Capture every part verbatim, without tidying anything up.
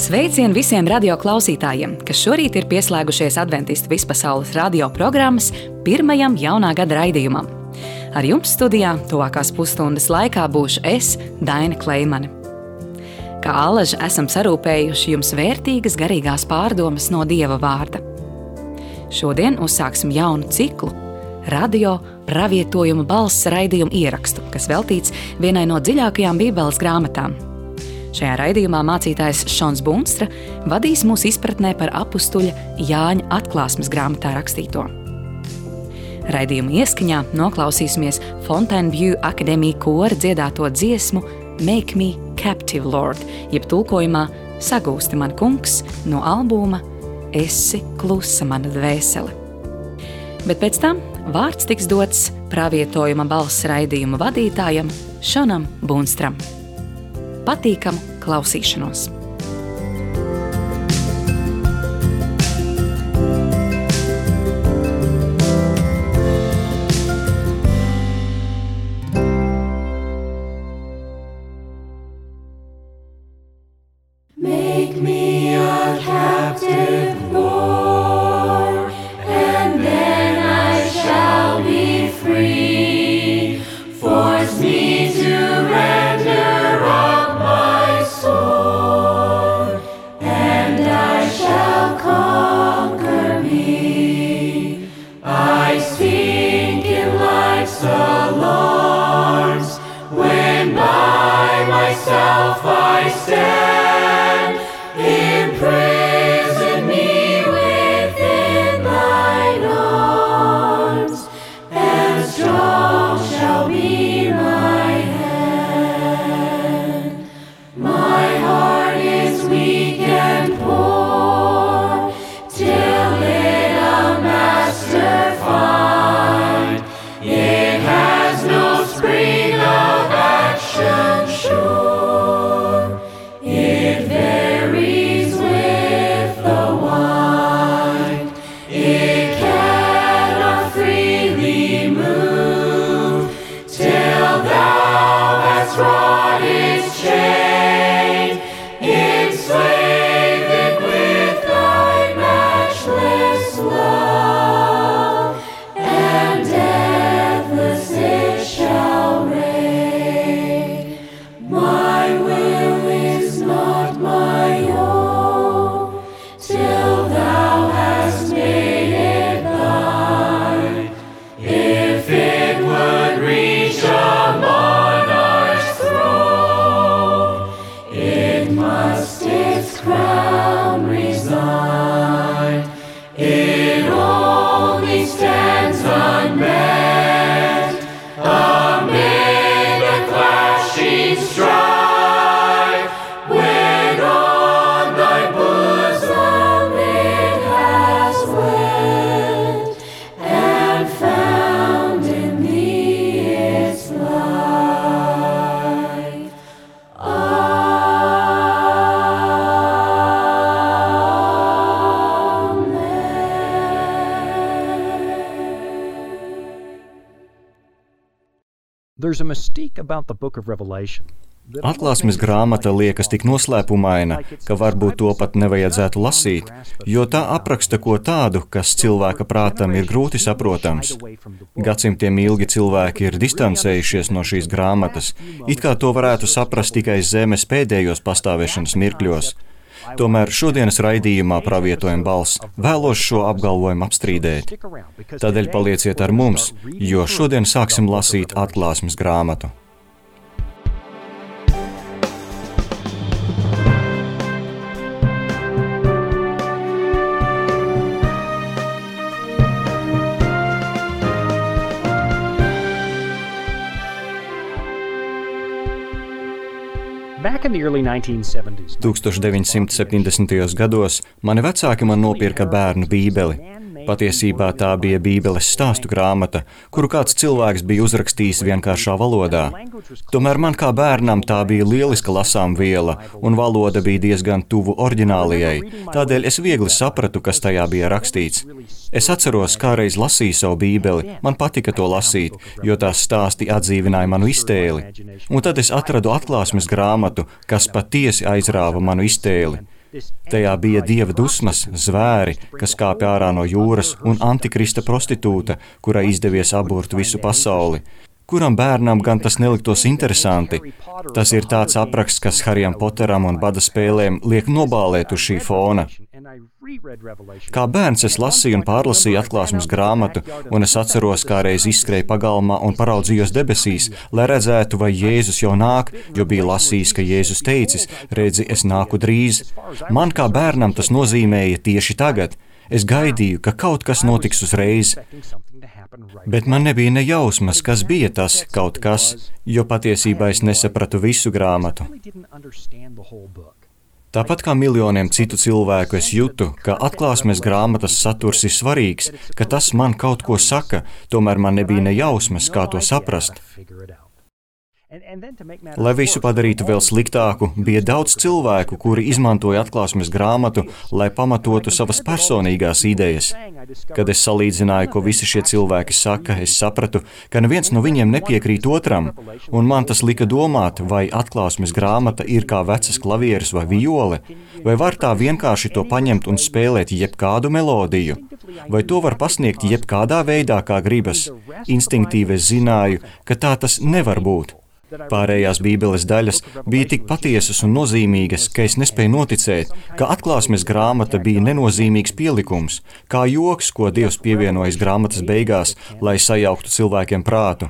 Sveicien visiem radio klausītājiem, kas šorīt ir pieslēgušies Adventistu vispasaules radio programmas pirmajam jaunā gada raidījumam. Ar jums studijā tuvākās pusstundas laikā būšu es, Daina Kleimane. Kā alaži esam sarūpējuši jums vērtīgas garīgās pārdomas no Dieva vārda. Šodien uzsāksim jaunu ciklu radio pravietojuma balss raidījumu ierakstu, kas veltīts vienai no dziļākajām Bībeles grāmatām. Šajā raidījumā mācītājs Šons Bunstra vadīs mūs izpratnē par apustuļa Jāņa atklāsmes grāmatā rakstīto. Raidījuma ieskaņā noklausīsimies Fontainebleau akadēmija kora dziedāto dziesmu Make Me Captive, Lord, jeb tulkojumā Sagūsti man kungs no albuma Esi klusa mana dvēsele. Bet pēc tam vārds tiks dots pravietojuma balss raidījuma vadītājam Šonam Bunstram. Patīkamu klausīšanos! Make me a captive, Lord, and then I shall be free. Force me to render up my soul, and I shall conquer me. I sink in life's alarms when by myself I stand. Imprison me within thine arms, and strong shall be my hand. My heart is weak and poor, till it a master find. It has no spring of action sure. It varies with the wind. It cannot freely move till thou hast wrought its chain. Enslave it with thy matchless love, and deathless it shall reign. My will is not my own, till thou hast made it thine. If it would reach a monarch's throne, it must its crown resign. It only stands unmet amid the clashing strife, when on thy bosom it has wept, and found in thee its life. There's a mystique about the book of Revelation. Atklāsmes grāmata liekas tik noslēpumaina, ka varbūt to pat nevajadzētu lasīt, jo tā apraksta ko tādu, kas cilvēka prātam ir grūti saprotams. Gadsimtiem ilgi cilvēki ir distancējušies no šīs grāmatas, it kā to varētu saprast tikai zemes pēdējos pastāvēšanas mirkļos. Tomēr šodienas raidījumā pravietojuma balss vēlos šo apgalvojumu apstrīdēt. Tādēļ palieciet ar mums, jo šodien sāksim lasīt atklāsmes grāmatu. tuksmš deviņsimt septiņdesmitajos gados mani vecāki man nopirka bērnu bībeli. Patiesībā tā bija Bībeles stāstu grāmata, kuru kāds cilvēks bija uzrakstījis vienkāršā valodā. Tomēr man kā bērnam tā bija lieliska lasāmviela, un valoda bija diezgan tuvu oriģinālajai, tādēļ es viegli sapratu, kas tajā bija rakstīts. Es atceros, kāreiz lasīju savu Bībeli, man patika to lasīt, jo tās stāsti atdzīvināja manu iztēli. Un tad es atradu atklāsmes grāmatu, kas patiesi aizrāva manu iztēli. Tajā bija dieva dusmas, zvēri, kas kāpj ārā no jūras, un antikrista prostitūta, kurai izdevies aburt visu pasauli. Kuram bērnam gan tas neliktos interesanti? Tas ir tāds apraksts, kas Harijam Poteram un bada spēlēm liek nobālēt uz šī fona. Kā bērns es lasīju un pārlasīju atklāsmes grāmatu, un es atceros, kā reiz izskrēju pagalmā un paraudzījos debesīs, lai redzētu, vai Jēzus jau nāk, jo bija lasījis, ka Jēzus teicis, redzi, es nāku drīz. Man kā bērnam tas nozīmēja tieši tagad. Es gaidīju, ka kaut kas notiks uzreiz. Bet man nebija ne jausmas, kas bija tas kaut kas, jo patiesībā es nesapratu visu grāmatu. Tāpat kā miljoniem citu cilvēku es jūtu, ka atklāsmes grāmatas saturs ir svarīgs, ka tas man kaut ko saka, tomēr man nebija ne jausmas, kā to saprast. Lai visu padarītu vēl sliktāku, bija daudz cilvēku, kuri izmantoja atklāsmes grāmatu, lai pamatotu savas personīgās idejas. Kad es salīdzināju, ko visi šie cilvēki saka, es sapratu, ka neviens no viņiem nepiekrīt otram, un man tas lika domāt, vai atklāsmes grāmata ir kā vecas klavieres vai viole, vai var tā vienkārši to paņemt un spēlēt jebkādu melodiju, vai to var pasniegt jebkādā veidā, kā gribas. Instinktīvi es zināju, ka tā tas nevar būt. Pārējās Bībeles daļas bija tik patiesas un nozīmīgas, ka es nespēju noticēt, ka atklāsmes grāmata bija nenozīmīgs pielikums, kā joks, ko Dievs pievienojas grāmatas beigās, lai sajauktu cilvēkiem prātu.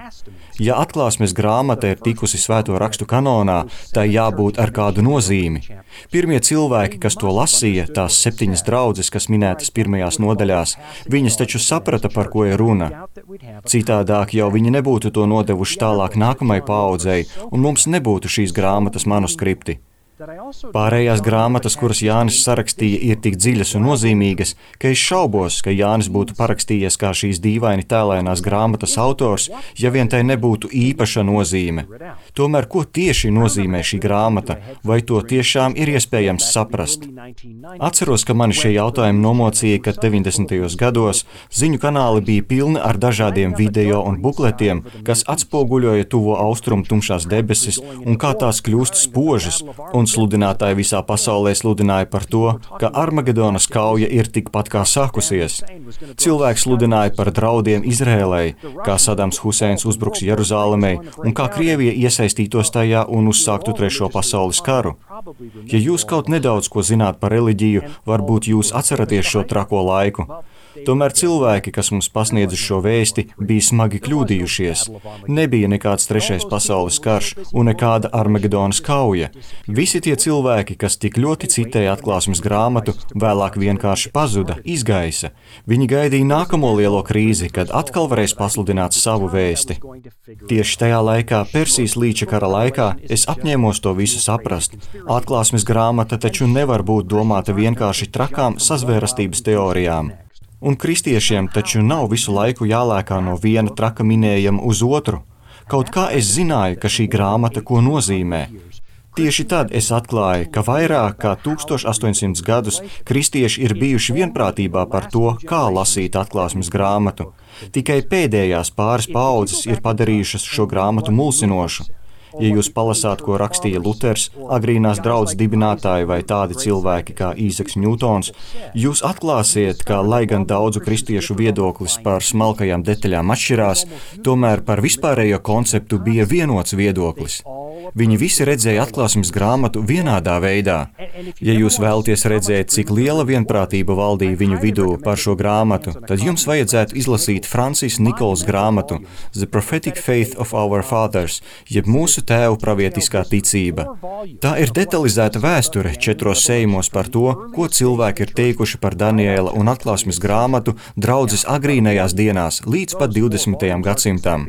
Ja atklāsmes grāmata ir tikusi svēto rakstu kanonā, tai jābūt ar kādu nozīmi. Pirmie cilvēki, kas to lasīja, tās septiņas draudzes, kas minētas pirmajās nodaļās, viņas taču saprata, par ko ir runa. Citādāk jau viņi nebūtu to nodevuši tālāk nākamai paaudzei, un mums nebūtu šīs grāmatas manuskripti. Pārējās grāmatas, kuras Jānis sarakstīja, ir tik dziļas un nozīmīgas, ka es šaubos, ka Jānis būtu parakstījies kā šīs dīvaini tēlainās grāmatas autors, ja vien tai nebūtu īpaša nozīme. Tomēr, ko tieši nozīmē šī grāmata, vai to tiešām ir iespējams saprast? Atceros, ka mani šie jautājumi nomocīja, kad deviņdesmitajos gados ziņu kanāli bija pilni ar dažādiem video un bukletiem, kas atspoguļoja tuvo austrumu tumšās debesis un kā tās kļūst spožas, un sludinātāji visā pasaulē sludināja par to, ka Armagedonas kauja ir tikpat kā sākusies. Cilvēki sludināja par draudiem Izrēlei, kā Sadams Huseins uzbruks Jeruzālemei un kā Krievija iesaistītos tajā un uzsāktu trešo pasaules karu. Ja jūs kaut nedaudz ko zināt par reliģiju, varbūt jūs atceraties šo trako laiku. Tomēr cilvēki, kas mums pasniedza šo vēsti, bija smagi kļūdījušies. Nebija nekāds trešais pasaules karš un nekāda Armagedonas kauja. Visi tie cilvēki, kas tik ļoti citēja atklāsmes grāmatu, vēlāk vienkārši pazuda, izgaisa. Viņi gaidīja nākamo lielo krīzi, kad atkal varēs pasludināt savu vēsti. Tieši tajā laikā, Persijas līča kara laikā, es apņēmos to visu saprast. Atklāsmes grāmata taču nevar būt domāta vienkārši trakām sazvērastības teorijām. Un kristiešiem taču nav visu laiku jālēkā no viena traka minējuma uz otru. Kaut kā es zināju, ka šī grāmata ko nozīmē. Tieši tad es atklāju, ka vairāk kā tūkstoš astoņsimt gadus kristieši ir bijuši vienprātībā par to, kā lasīt atklāsmes grāmatu. Tikai pēdējās pāris paaudzes ir padarījušas šo grāmatu mulsinošu. Ja jūs palasāt, ko rakstīja Luters, agrīnās draudzes dibinātāji vai tādi cilvēki kā Īzeks Ņūtons, jūs atklāsiet, ka, lai gan daudzu kristiešu viedoklis par smalkajām detaļām atšķirās, tomēr par vispārējo konceptu bija vienots viedoklis. Viņi visi redzēja atklāsmes grāmatu vienādā veidā. Ja jūs vēlaties redzēt, cik liela vienprātība valdīja viņu vidū par šo grāmatu, tad jums vajadzētu izlasīt Francis Nicols grāmatu The Prophetic Faith of Our Fathers, jeb mūsu tēvu pravietiskā ticība. Tā ir detalizēta vēsture četros sējumos par to, ko cilvēki ir teikuši par Daniela un atklāsmes grāmatu draudzes agrīnajās dienās līdz pat divdesmitajam gadsimtam.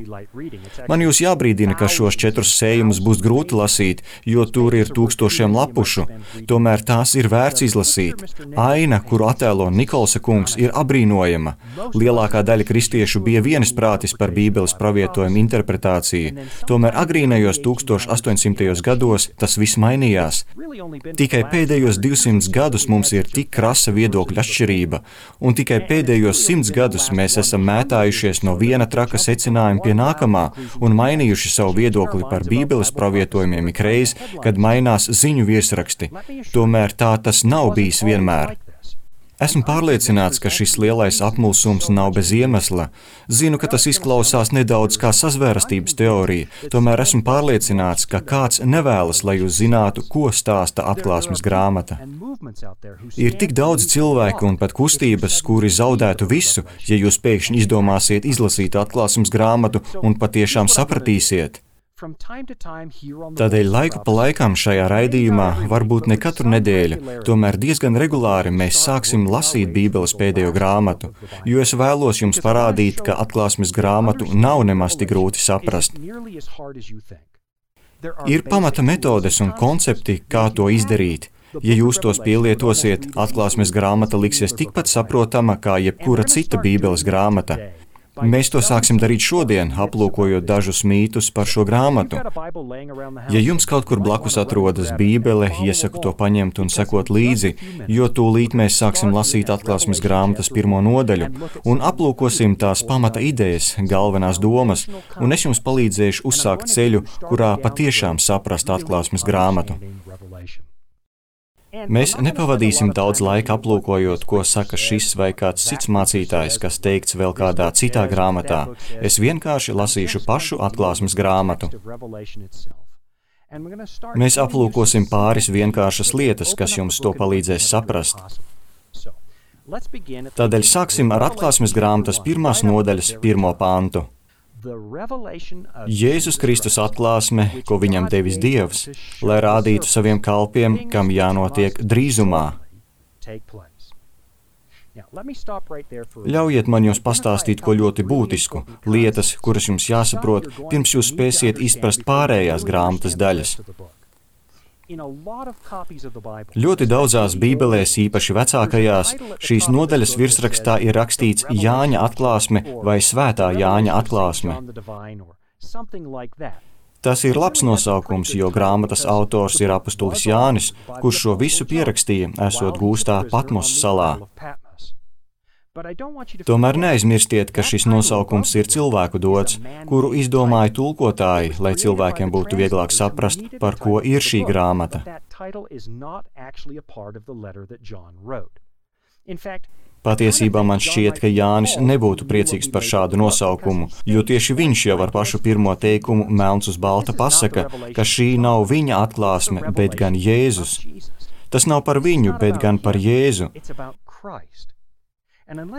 Man jūs jābrīdina, ka šos četrus sējumus būs grūti lasīt, jo tur ir tūkstošiem lapušu, tomēr tās ir vērts izlasīt. Aina, kuru attēlo Nikolsa kungs, ir abrīnojama. Lielākā daļa kristiešu bija vienisprātis par Bībeles pravietojumu interpretāciju, tomēr agrīnajos tūkstoš astoņsimtajos gados tas viss mainījās. Tikai pēdējos divsimt gadus mums ir tik krasa viedokļa atšķirība, un tikai pēdējos simts gadus mēs esam mētājušies no viena traka secinājuma pie nākamā un mainījuši savu viedokli par Bībeles pravietojumu pārvietojumiem ikreiz, kad mainās ziņu virsraksti. Tomēr tā tas nav bijis vienmēr. Esmu pārliecināts, ka šis lielais apmulsums nav bez iemesla. Zinu, ka tas izklausās nedaudz kā sazvērstības teorija, tomēr esmu pārliecināts, ka kāds nevēlas, lai jūs zinātu, ko stāsta atklāsmes grāmata. Ir tik daudz cilvēku un pat kustības, kuri zaudētu visu, ja jūs pēkšņi izdomāsiet izlasīt atklāsmes grāmatu un patiešām sapratīsiet. Tādēļ laiku pa laikam šajā raidījumā, varbūt ne katru nedēļu, tomēr diezgan regulāri mēs sāksim lasīt Bībeles pēdējo grāmatu, jo es vēlos jums parādīt, ka atklāsmes grāmatu nav nemaz tik grūti saprast. Ir pamata metodes un koncepti, kā to izdarīt. Ja jūs tos pielietosiet, atklāsmes grāmata liksies tikpat saprotama kā jebkura cita Bībeles grāmata. Mēs to sāksim darīt šodien, aplūkojot dažus mītus par šo grāmatu. Ja jums kaut kur blakus atrodas Bībele, iesaku to paņemt un sekot līdzi, jo tūlīt mēs sāksim lasīt atklāsmes grāmatas pirmo nodaļu un aplūkosim tās pamata idejas, galvenās domas, un es jums palīdzēšu uzsākt ceļu, kurā patiešām saprast atklāsmes grāmatu. Mēs nepavadīsim daudz laika aplūkojot, ko saka šis vai kāds cits mācītājs, kas teikts vēl kādā citā grāmatā. Es vienkārši lasīšu pašu atklāsmes grāmatu. Mēs aplūkosim pāris vienkāršas lietas, kas jums to palīdzēs saprast. Tādēļ sāksim ar atklāsmes grāmatas pirmās nodaļas pirmo pantu. Jēzus Kristus atklāsme, ko viņam devis Dievs, lai rādītu saviem kalpiem, kam jānotiek drīzumā. Ļaujiet man jums pastāstīt ko ļoti būtisku, lietas, kuras jums jāsaprot, pirms jūs spēsiet izprast pārējās grāmatas daļas. Ļoti daudzās bībelēs, īpaši vecākajās, šīs nodaļas virsrakstā ir rakstīts Jāņa atklāsme vai Svētā Jāņa atklāsme. Tas ir labs nosaukums, jo grāmatas autors ir apustulis Jānis, kurš šo visu pierakstīja, esot gūstā Patmos salā. Tomēr neaizmirstiet, ka šis nosaukums ir cilvēku dots, kuru izdomāja tulkotāji, lai cilvēkiem būtu vieglāk saprast, par ko ir šī grāmata. Patiesībā man šķiet, ka Jānis nebūtu priecīgs par šādu nosaukumu, jo tieši viņš jau ar pašu pirmo teikumu melns uz balta pasaka, ka šī nav viņa atklāsme, bet gan Jēzus. Tas nav par viņu, bet gan par Jēzu.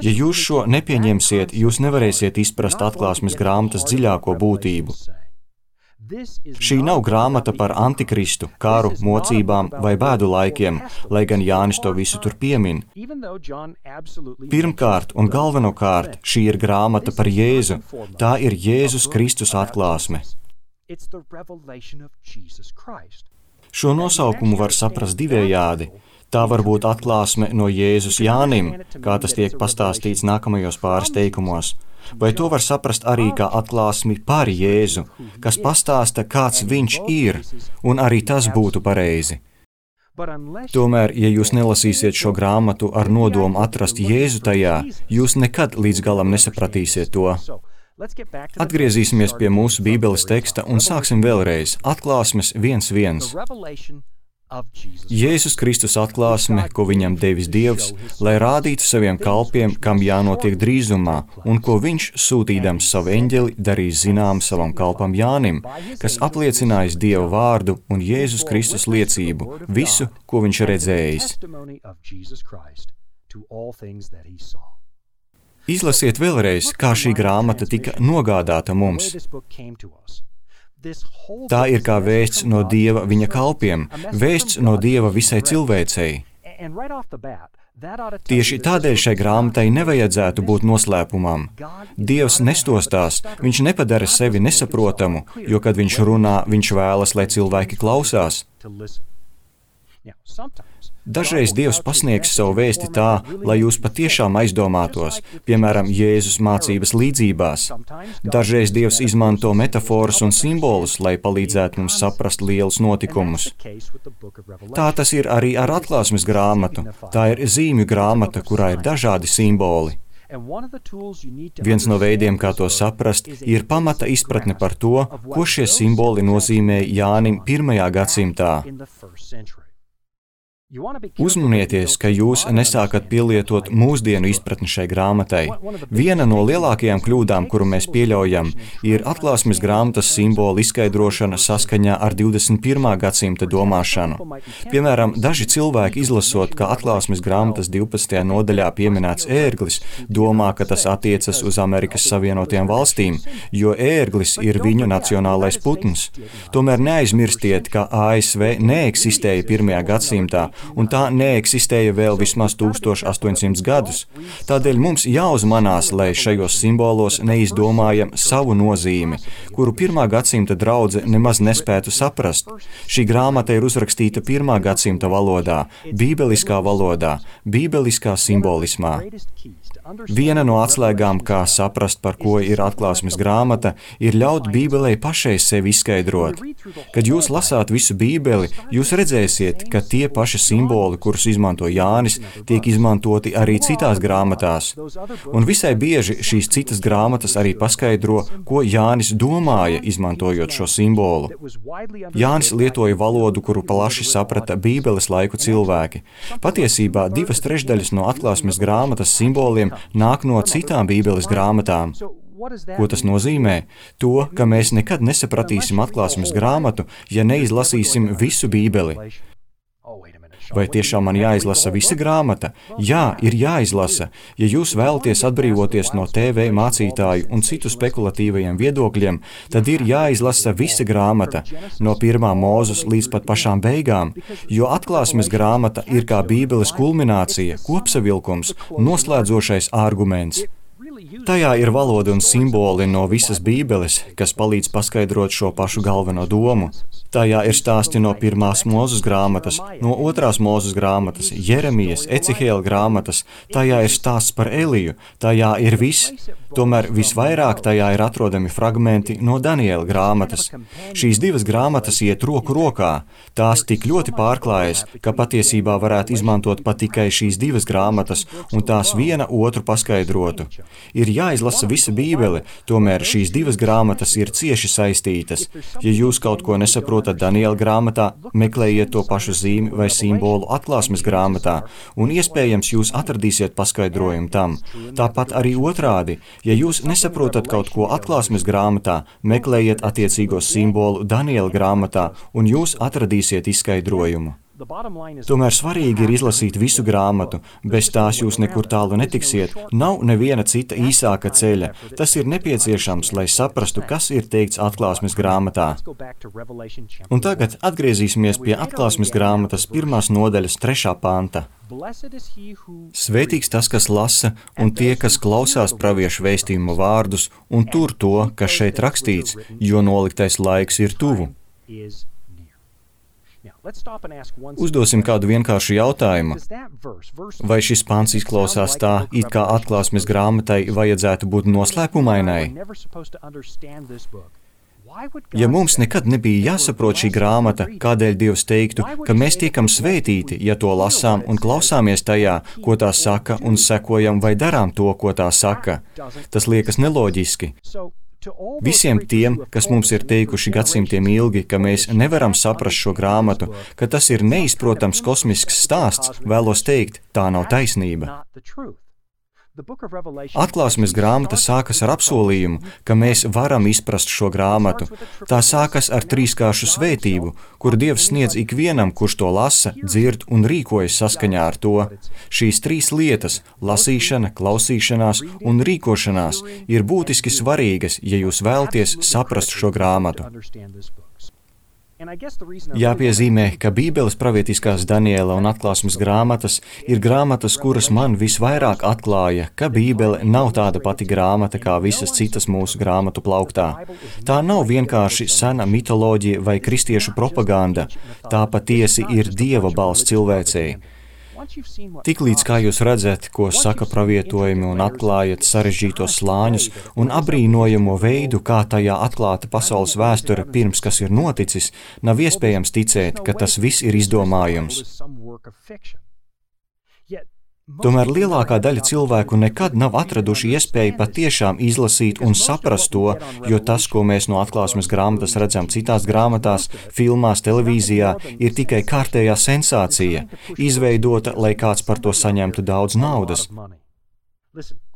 Ja jūs šo nepieņemsiet, jūs nevarēsiet izprast atklāsmes grāmatas dziļāko būtību. Šī nav grāmata par antikristu, karu, mocībām vai bēdu laikiem, lai gan Jānis to visu tur piemin. Pirmkārt un galvenokārt šī ir grāmata par Jēzu. Tā ir Jēzus Kristus atklāsme. Šo nosaukumu var saprast divējādi. Tā var būt atklāsme no Jēzus Jānim, kā tas tiek pastāstīts nākamajos pāris teikumos. Vai to var saprast arī kā atklāsmi par Jēzu, kas pastāsta, kāds viņš ir, un arī tas būtu pareizi. Tomēr, ja jūs nelasīsiet šo grāmatu ar nodomu atrast Jēzu tajā, jūs nekad līdz galam nesapratīsiet to. Atgriezīsimies pie mūsu Bībeles teksta un sāksim vēlreiz. Atklāsmes viens viens. Jēzus Kristus atklāsme, ko viņam devis Dievs, lai rādītu saviem kalpiem, kam jānotiek drīzumā, un ko viņš, sūtīdams savu eņģeli, darīs zinām savam kalpam Jānim, kas apliecinājis Dieva vārdu un Jēzus Kristus liecību, visu, ko viņš redzējis. Izlasiet vēlreiz, kā šī grāmata tika nogādāta mums. Tā ir kā vēsts no Dieva viņa kalpiem, vēsts no Dieva visai cilvēcei. Tieši tādēļ šai grāmatai nevajadzētu būt noslēpumam. Dievs nestostās, viņš nepadara sevi nesaprotamu, jo, kad viņš runā, viņš vēlas, lai cilvēki klausās. Dažreiz Dievs pasniegs savu vēsti tā, lai jūs patiešām aizdomātos, piemēram, Jēzus mācības līdzībās. Dažreiz Dievs izmanto metaforas un simbolus, lai palīdzētu mums saprast lielus notikumus. Tā tas ir arī ar atklāsmes grāmatu. Tā ir zīmju grāmata, kurā ir dažādi simboli. Viens no veidiem, kā to saprast, ir pamata izpratne par to, ko šie simboli nozīmē Jānim pirmajā gadsimtā. Uzmanieties, ka jūs nesākat pielietot mūsdienu izpratni šai grāmatai. Viena no lielākajām kļūdām, kuru mēs pieļaujam, ir atklāsmes grāmatas simbolu izskaidrošana saskaņā ar divdesmit pirmā gadsimta domāšanu. Piemēram, daži cilvēki izlasot, ka atklāsmes grāmatas divpadsmitajā nodaļā pieminēts ērglis, domā, ka tas attiecas uz Amerikas Savienotajām valstīm, jo ērglis ir viņu nacionālais putns. Tomēr neaizmirstiet, ka A S V neeksistēja pirmajā gadsimtā, un tā neeksistēja vēl vismaz tūkstoš astoņsimt gadus. Tādēļ mums jāuzmanās, lai šajos simbolos neizdomājam savu nozīmi, kuru pirmā gadsimta draudze nemaz nespētu saprast. Šī grāmata ir uzrakstīta pirmā gadsimta valodā, bībeliskā valodā, bībeliskā simbolismā. Viena no atslēgām, kā saprast, par ko ir atklāsmes grāmata, ir ļaut Bībelei pašai sevi izskaidrot. Kad jūs lasāt visu Bībeli, jūs redzēsiet, ka tie paši simboli, kurus izmanto Jānis, tiek izmantoti arī citās grāmatās. Un visai bieži šīs citas grāmatas arī paskaidro, ko Jānis domāja, izmantojot šo simbolu. Jānis lietoja valodu, kuru plaši saprata Bībeles laiku cilvēki. Patiesībā divas trešdaļas no atklāsmes grāmatas simboliem nāk no citām Bībeles grāmatām. Ko tas nozīmē? To, ka mēs nekad nesapratīsim atklāsmes grāmatu, ja neizlasīsim visu Bībeli. Vai tiešām man jāizlasa visa grāmata? Jā, ir jāizlasa. Ja jūs vēlaties atbrīvoties no T V mācītāju un citu spekulatīvajiem viedokļiem, tad ir jāizlasa visa grāmata, no pirmā Mūzes līdz pat pašām beigām, jo atklāsmes grāmata ir kā Bībeles kulminācija, kopsavilkums, noslēdzošais arguments. Tajā ir valoda un simboli no visas Bībeles, kas palīdz paskaidrot šo pašu galveno domu. Tajā ir stāsti no pirmās Mūzes grāmatas, no otrās Mūzes grāmatas, Jeremijas, Ecihēla grāmatas, tajā ir stāsts par Eliju, tajā ir viss. Tomēr visvairāk tajā ir atrodami fragmenti no Daniela grāmatas. Šīs divas grāmatas iet roku rokā. Tās tik ļoti pārklājas, ka patiesībā varētu izmantot pat tikai šīs divas grāmatas, un tās viena otru paskaidrotu. Ir jāizlasa visa Bībele, tomēr šīs divas grāmatas ir cieši saistītas. Ja jūs kaut ko nesaprotat Daniela grāmatā, meklējiet to pašu zīmi vai simbolu atklāsmes grāmatā, un iespējams jūs atradīsiet paskaidrojumu tam. Tāpat arī otrādi. Ja jūs nesaprotat kaut ko atklāsmes grāmatā, meklējiet attiecīgo simbolu Daniela grāmatā, un jūs atradīsiet izskaidrojumu. Tomēr svarīgi ir izlasīt visu grāmatu, bez tās jūs nekur tālu netiksiet, nav neviena cita īsāka ceļa. Tas ir nepieciešams, lai saprastu, kas ir teikts atklāsmes grāmatā. Un tagad atgriezīsimies pie atklāsmes grāmatas pirmās nodaļas trešā panta. Svētīgs tas, kas lasa, un tie, kas klausās praviešu vēstījumu vārdus, un tur to, kas šeit rakstīts, jo noliktais laiks ir tuvu. Uzdosim kādu vienkāršu jautājumu. Vai šis pants izklausās tā, it kā atklāsmes grāmatai vajadzētu būt noslēpumainai? Ja mums nekad nebija jāsaprot šī grāmata, kādēļ Dievs teiktu, ka mēs tiekam svētīti, ja to lasām un klausāmies tajā, ko tā saka, un sekojam vai darām to, ko tā saka? Tas liekas neloģiski. Visiem tiem, kas mums ir teikuši gadsimtiem ilgi, ka mēs nevaram saprast šo grāmatu, ka tas ir neizprotams kosmisks stāsts, vēlos teikt, tā nav taisnība. Atklāsmes grāmata sākas ar apsolījumu, ka mēs varam izprast šo grāmatu. Tā sākas ar trīskāršu svētību, kur Dievs sniedz ikvienam, kurš to lasa, dzird un rīkojas saskaņā ar to. Šīs trīs lietas – lasīšana, klausīšanās un rīkošanās – ir būtiski svarīgas, ja jūs vēlaties saprast šo grāmatu. Jāpiezīmē, ka Bībeles pravietiskās Daniela un atklāsmes grāmatas ir grāmatas, kuras man visvairāk atklāja, ka Bībele nav tāda pati grāmata kā visas citas mūsu grāmatu plauktā. Tā nav vienkārši sena mitoloģija vai kristiešu propaganda, tā patiesi ir Dieva balss cilvēcei. Tiklīdz kā jūs redzat, ko saka pravietojumi un atklājat sarežģītos slāņus un abrīnojamo veidu, kā tajā atklāta pasaules vēsture pirms, kas ir noticis, nav iespējams ticēt, ka tas viss ir izdomājums. Tomēr lielākā daļa cilvēku nekad nav atraduši iespēju patiešām izlasīt un saprast to, jo tas, ko mēs no atklāsmes grāmatas redzam citās grāmatās, filmās, televīzijā, ir tikai kārtējā sensācija, izveidota, lai kāds par to saņemtu daudz naudas.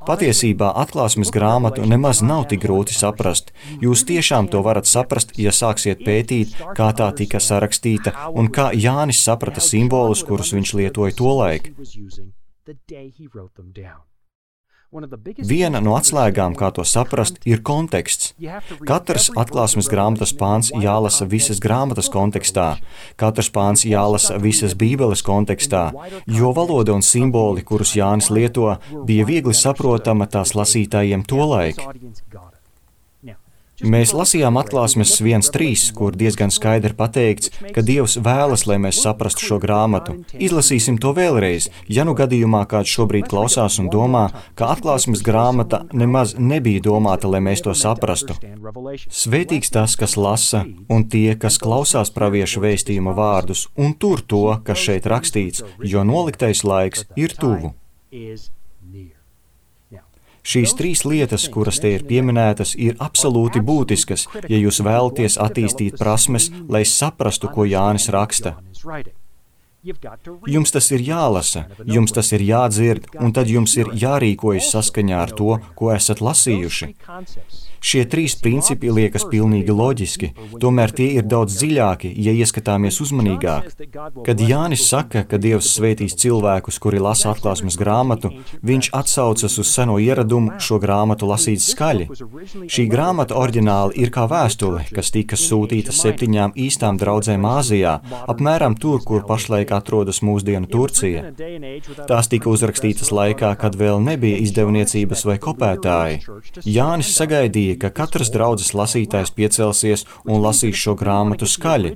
Patiesībā atklāsmes grāmatu nemaz nav tik grūti saprast. Jūs tiešām to varat saprast, ja sāksiet pētīt, kā tā tika sarakstīta un kā Jānis saprata simbolus, kurus viņš lietoja tolaik. Viena no atslēgām, kā to saprast, ir konteksts. Katrs atklāsmes grāmatas pāns jālasa visas grāmatas kontekstā, katrs pāns jālasa visas Bībeles kontekstā, jo valoda un simboli, kurus Jānis lieto, bija viegli saprotama tās lasītājiem tolaik. Mēs lasījām atklāsmes viens trīs, kur diezgan skaidri pateikts, ka Dievs vēlas, lai mēs saprastu šo grāmatu. Izlasīsim to vēlreiz, ja nu gadījumā kāds šobrīd klausās un domā, ka atklāsmes grāmata nemaz nebija domāta, lai mēs to saprastu. Svētīgs tas, kas lasa, un tie, kas klausās pravieša vēstījuma vārdus, un tur to, kas šeit rakstīts, jo noliktais laiks ir tuvu. Šīs trīs lietas, kuras te ir pieminētas, ir absolūti būtiskas, ja jūs vēlaties attīstīt prasmes, lai saprastu, ko Jānis raksta. Jums tas ir jālasa, jums tas ir jādzird, un tad jums ir jārīkojas saskaņā ar to, ko esat lasījuši. Šie trīs principi liekas pilnīgi loģiski, tomēr tie ir daudz dziļāki, ja ieskatāmies uzmanīgāk. Kad Jānis saka, ka Dievs svētīs cilvēkus, kuri lasa atklāsmes grāmatu, viņš atsaucas uz seno ieradumu šo grāmatu lasīt skaļi. Šī grāmata oriģināli ir kā vēstule, kas tika sūtīta septiņām īstām draudzēm Āzijā, apmēram tur, kur pašlaik atrodas mūsdienu Turcija. Tās tika uzrakstītas laikā, kad vēl nebija izdevniecības vai kopētāji. Jānis sagaidīja, ka katrs draudzes lasītājs piecelsies un lasīs šo grāmatu skaļi.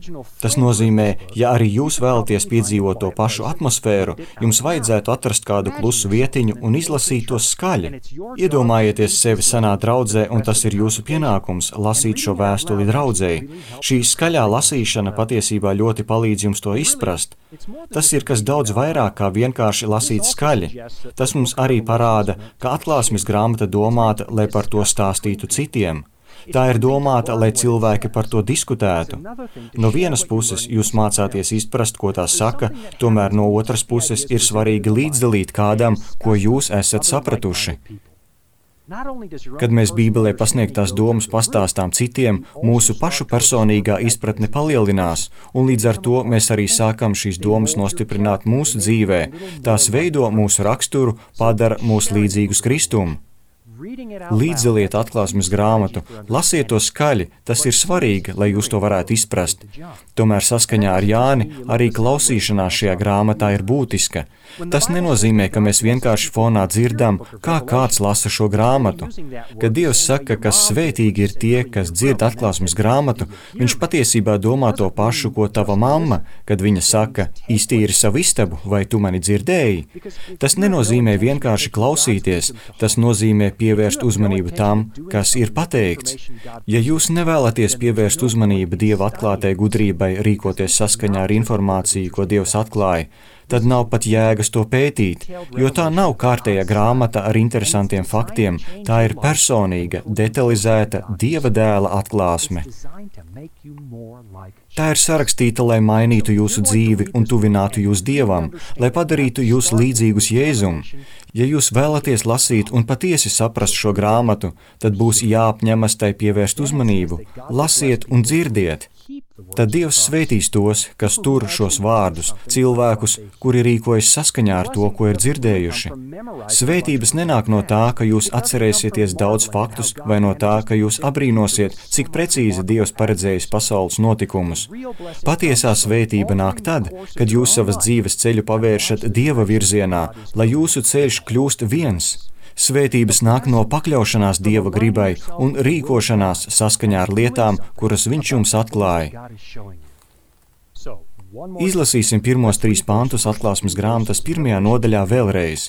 Tas nozīmē, ja arī jūs vēlaties piedzīvot to pašu atmosfēru, jums vajadzētu atrast kādu klusu vietiņu un izlasīt to skaļi. Iedomājieties sevi senā draudzē, un tas ir jūsu pienākums lasīt šo vēstuli draudzei. Šī skaļā lasīšana patiesībā ļoti palīdz jums to izprast. Tas ir kas daudz vairāk kā vienkārši lasīt skaļi. Tas mums arī parāda, ka atklāsmes grāmata domāta, lai par to stāstītu citiem. Tā ir domāta, lai cilvēki par to diskutētu. No vienas puses jūs mācāties izprast, ko tā saka, tomēr no otras puses ir svarīgi līdzdalīt kādam, ko jūs esat sapratuši. Kad mēs Bībelē pasniegtās domas pastāstām citiem, mūsu pašu personīgā izpratne palielinās, un līdz ar to mēs arī sākam šīs domas nostiprināt mūsu dzīvē. Tās veido mūsu raksturu, padara mūs līdzīgus Kristum. Līdzdaliet atklāsmes grāmatu, lasiet to skaļi, tas ir svarīgi, lai jūs to varētu izprast. Tomēr saskaņā ar Jāni arī klausīšanās šajā grāmatā ir būtiska. Tas nenozīmē, ka mēs vienkārši fonā dzirdam, kā kāds lasa šo grāmatu. Kad Dievs saka, ka svētīgi ir tie, kas dzird atklāsmes grāmatu, viņš patiesībā domā to pašu, ko tava mamma, kad viņa saka, iztīri savu istabu, vai tu mani dzirdēji. Tas nenozīmē vienkārši klausīties, tas nozīmē pievērst uzmanību tam, kas ir pateikts. Ja jūs nevēlaties pievērst uzmanību Dieva atklātai gudrībai rīkoties saskaņā ar informāciju, ko Dievs atklāja, tad nav pat jēgas to pētīt, jo tā nav kārtējā grāmata ar interesantiem faktiem, tā ir personīga, detalizēta Dieva dēla atklāsme. Tā ir sarakstīta, lai mainītu jūsu dzīvi un tuvinātu jūs Dievam, lai padarītu jūs līdzīgus Jēzum. Ja jūs vēlaties lasīt un patiesi saprast šo grāmatu, tad būs jāapņemas tai pievērst uzmanību, lasiet un dzirdiet. Tad Dievs svētīs tos, kas tur šos vārdus, cilvēkus, kuri rīkojas saskaņā ar to, ko ir dzirdējuši. Svētības nenāk no tā, ka jūs atcerēsieties daudz faktus, vai no tā, ka jūs abrīnosiet, cik precīzi Dievs paredzējis pasaules notikumus. Patiesā svētība nāk tad, kad jūs savas dzīves ceļu pavēršat Dieva virzienā, lai jūsu ceļš kļūst viens. Svētības nāk no pakļaušanās Dieva gribai un rīkošanās saskaņā ar lietām, kuras viņš jums atklāja. Izlasīsim pirmos trīs pantus atklāsmes grāmatas pirmajā nodaļā vēlreiz.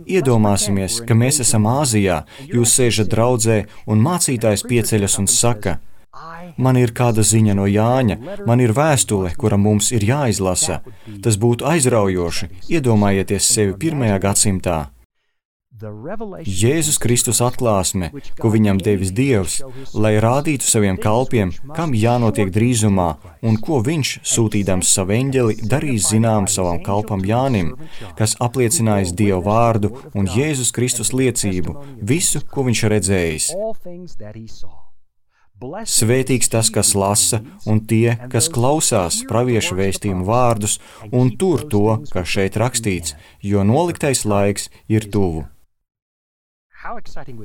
Iedomāsimies, ka mēs esam Āzijā, jūs sēžat draudzē un mācītājs pieceļas un saka, Man ir kāda ziņa no Jāņa, man ir vēstule, kura mums ir jāizlasa. Tas būtu aizraujoši, iedomājieties sevi pirmajā gadsimtā. Jēzus Kristus atklāsme, ko viņam devis Dievs, lai rādītu saviem kalpiem, kam jānotiek drīzumā, un ko viņš, sūtīdams savu eņģeli, darīs zinām savam kalpam Jānim, kas apliecinājis Dievu vārdu un Jēzus Kristus liecību, visu, ko viņš redzējis. Svētīgs tas, kas lasa, un tie, kas klausās pravieša vēstījumu vārdus, un tur to, kas šeit rakstīts, jo noliktais laiks ir tuvu.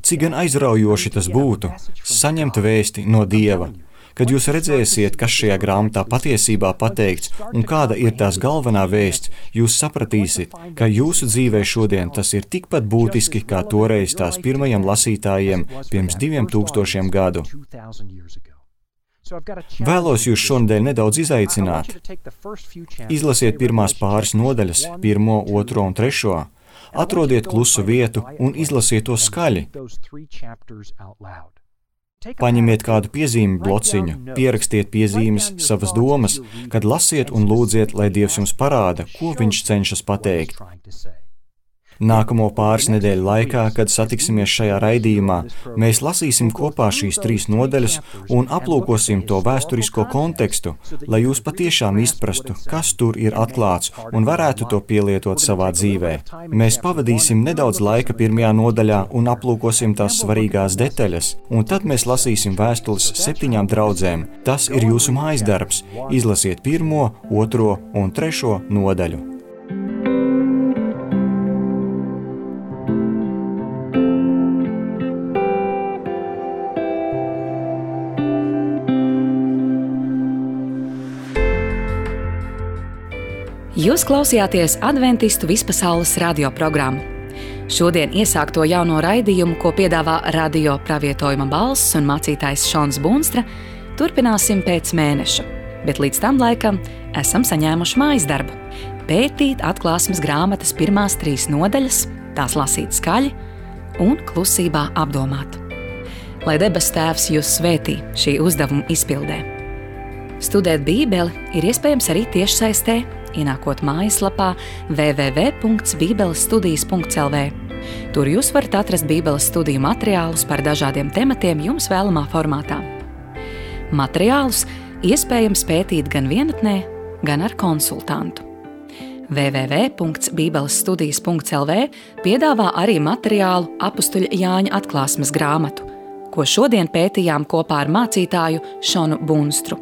Cik gan aizraujoši tas būtu, saņemt vēsti no Dieva, kad jūs redzēsiet, kas šajā grāmatā patiesībā pateikts un kāda ir tās galvenā vēsts, jūs sapratīsiet, ka jūsu dzīvē šodien tas ir tikpat būtiski, kā toreiz tās pirmajiem lasītājiem pirms diviem tūkstošiem gadu. Vēlos jūs šonadēļ nedaudz izaicināt. Izlasiet pirmās pāris nodaļas, pirmo, otro un trešo. Atrodiet klusu vietu un izlasiet to skaļi. Paņemiet kādu piezīmi blociņu, pierakstiet piezīmes, savas domas, kad lasiet un lūdziet, lai Dievs jums parāda, ko viņš cenšas pateikt. Nākamo pāris nedēļu laikā, kad satiksimies šajā raidījumā, mēs lasīsim kopā šīs trīs nodaļas un aplūkosim to vēsturisko kontekstu, lai jūs patiešām izprastu, kas tur ir atklāts un varētu to pielietot savā dzīvē. Mēs pavadīsim nedaudz laika pirmajā nodaļā un aplūkosim tās svarīgās detaļas, un tad mēs lasīsim vēstules septiņām draudzēm. Tas ir jūsu mājas darbs. Izlasiet pirmo, otro un trešo nodaļu. Jūs klausījāties Adventistu vispasaules radioprogrammu. Šodien iesākto jauno raidījumu, ko piedāvā radio pravietojuma balss un mācītājs Šons Bunstra, turpināsim pēc mēneša, bet līdz tam laikam esam saņēmuši mājas darbu – pētīt atklāsmes grāmatas pirmās trīs nodaļas, tās lasīt skaļi un klusībā apdomāt. Lai debesu Tēvs jūs svētī šī uzdevuma izpildē. Studēt Bībeli ir iespējams arī tiešsaistē, ienākot mājaslapā w w w punkts bībeles studijas punkts l v. Tur jūs varat atrast Bībeles studiju materiālus par dažādiem tematiem jums vēlamā formātā. Materiālus iespējams pētīt gan vienatnē, gan ar konsultantu. w w w punkts bībeles studijas punkts l v piedāvā arī materiālu apustuļa Jāņa atklāsmes grāmatu, ko šodien pētījām kopā ar mācītāju Šonu Bunstru.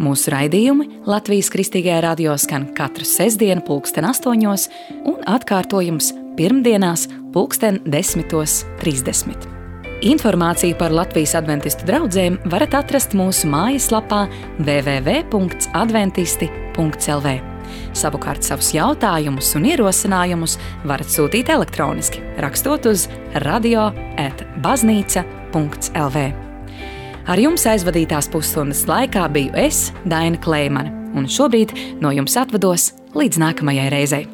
Mūsu raidījumi Latvijas Kristīgajā radio skan katru sestdienu pulksten astoņos un atkārtojums pirmdienās pulksten desmitos trīsdesmit. Informāciju par Latvijas adventistu draudzēm varat atrast mūsu mājaslapā w w w punkts adventisti punkts l v. Savukārt savus jautājumus un ierosinājumus varat sūtīt elektroniski, rakstot uz radio at baznīca punkts l v. Ar jums aizvadītās pusstundas laikā biju es, Daina Kleimane, un šobrīd no jums atvados līdz nākamajai reizei.